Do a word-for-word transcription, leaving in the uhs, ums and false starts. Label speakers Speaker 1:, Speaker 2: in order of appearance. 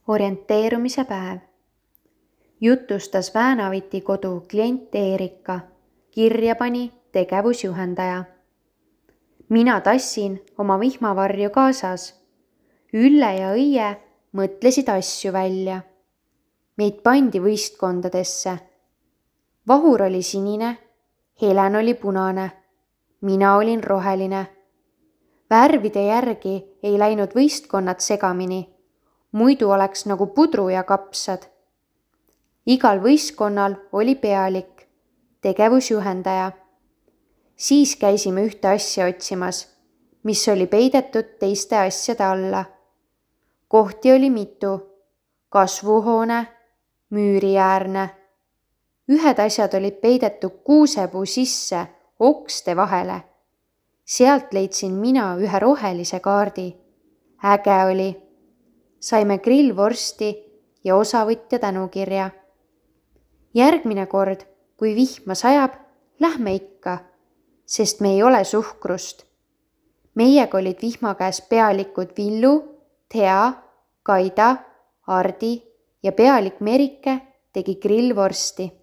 Speaker 1: Orienteerumise päev. Jutustas Väänaviti kodu klient Eerika, kirja pani tegevusjuhendaja. Mina tassin oma vihmavarju kaasas. Ülle ja Õie mõtlesid asju välja. Meid pandi võistkondadesse. Vahur oli sinine, Helen oli punane, mina olin roheline. Värvide järgi ei läinud võistkonnad segamini, muidu oleks nagu pudru ja kapsad. Igal võistkonnal oli pealik, tegevusjuhendaja. Siis käisime ühte asja otsimas, mis oli peidetud teiste asjade alla. Kohti oli mitu, kasvuhoone, müüriäärne. Ühed asjad olid peidetud kuusepuu sisse, okste vahele. Sealt leidsin mina ühe rohelise kaardi. Äge oli. Saime grillvorsti ja osavõtja tänukirja. Järgmine kord, kui vihma sajab, lähme ikka, sest me ei ole suhkrust. Meiega olid vihma käes pealikud Villu, Thea, Kaida, Ardi ja pealik Merike tegi grillvorsti.